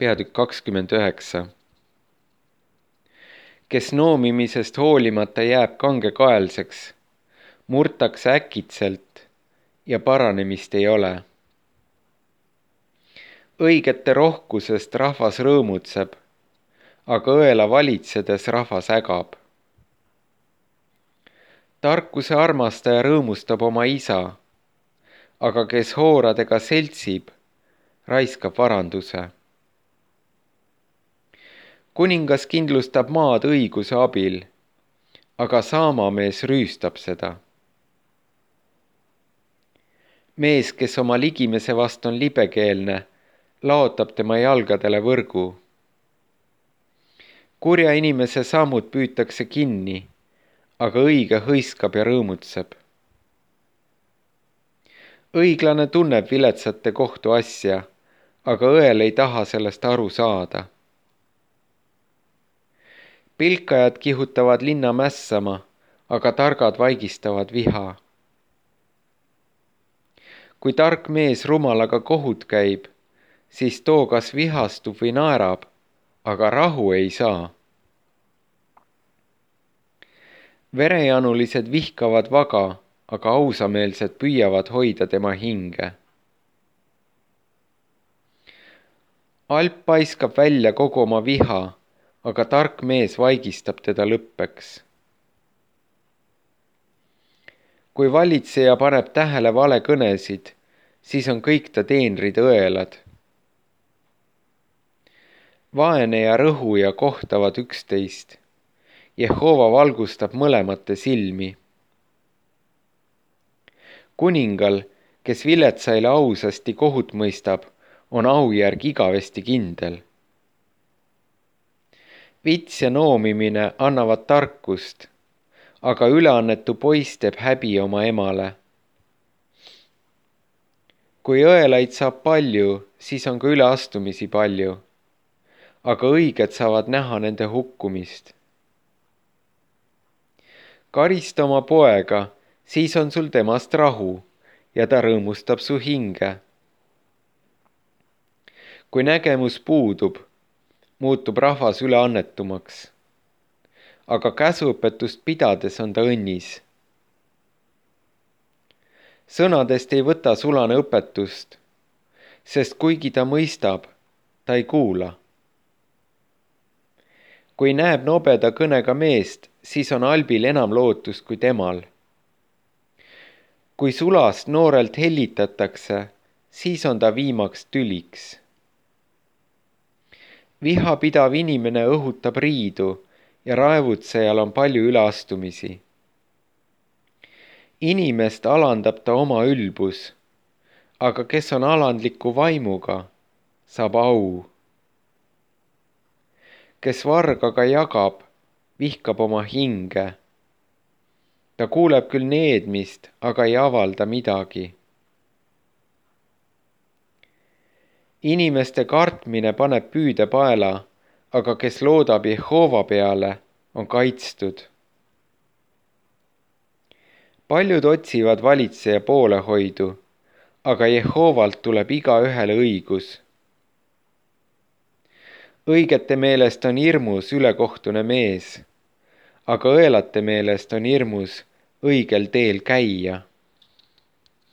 Peatükk 29. Kes noomimisest hoolimata jääb kangekaelseks, murtakse äkitselt ja paranemist ei ole. Õigete rohkusest rahvas rõõmutseb, aga õela valitsedes rahvas ägab. Tarkuse armastaja rõõmustab oma isa, aga kes hooradega seltsib, raiskab varanduse. Kuningas kindlustab maad õiguse abil, aga saamamees rüüstab seda. Mees, kes oma ligimese vast on libekeelne, laotab tema jalgadele võrgu. Kurja inimese sammud püütakse kinni, aga õige hõiskab ja rõõmutseb. Õiglane tunneb viletsate kohtu asja, aga õel ei taha sellest aru saada. Pilkajad kihutavad linna mässama, aga targad vaigistavad viha. Kui tark mees rumalaga kohut käib, siis too kas vihastub või naerab, aga rahu ei saa. Verejanulised vihkavad vaga, aga ausameelsed püüavad hoida tema hinge. Alp paiskab välja kogu oma viha, aga tark mees vaigistab teda lõppeks. Kui valitseja paneb tähele valekõnesid, siis on kõik ta teenrid õelad. Vaene ja rõhuja kohtavad üksteist. Jehova valgustab mõlemate silmi. Kuningal, kes viletsaile ausasti kohut mõistab, on aujärg igavesti kindel. Vits ja noomimine annavad tarkust, aga üleannetu poiss teeb häbi oma emale. Kui õelaid saab palju, siis on ka üleastumisi palju, aga õiged saavad näha nende hukkumist. Karista oma poega, siis on sul temast rahu ja ta rõõmustab su hinge. Kui nägemus puudub, muutub rahvas üleannetumaks, aga käsuõpetust pidades on ta õnnis. Sõnadest ei võta sulane õpetust, sest kuigi ta mõistab, ta ei kuula. Kui näeb nobeda kõnega meest, siis on albil enam lootust kui temal. Kui sulast noorelt hellitatakse, siis on ta viimaks tüliks. Vihapidav inimene õhutab riidu ja raevutsejal on palju üleastumisi. Inimest alandab ta oma ülbus, aga kes on alandliku vaimuga, saab au. Kes vargaga jagab, vihkab oma hinge. Ta kuuleb küll needmist, aga ei avalda midagi. Inimeste kartmine paneb püüde paela, aga kes loodab Jehova peale, on kaitstud. Paljud otsivad valitseja poolehoidu, aga Jehovalt tuleb igaühele õigus. Õigete meelest on hirmus ülekohtune mees, aga õelate meelest on hirmus õigel teel käia.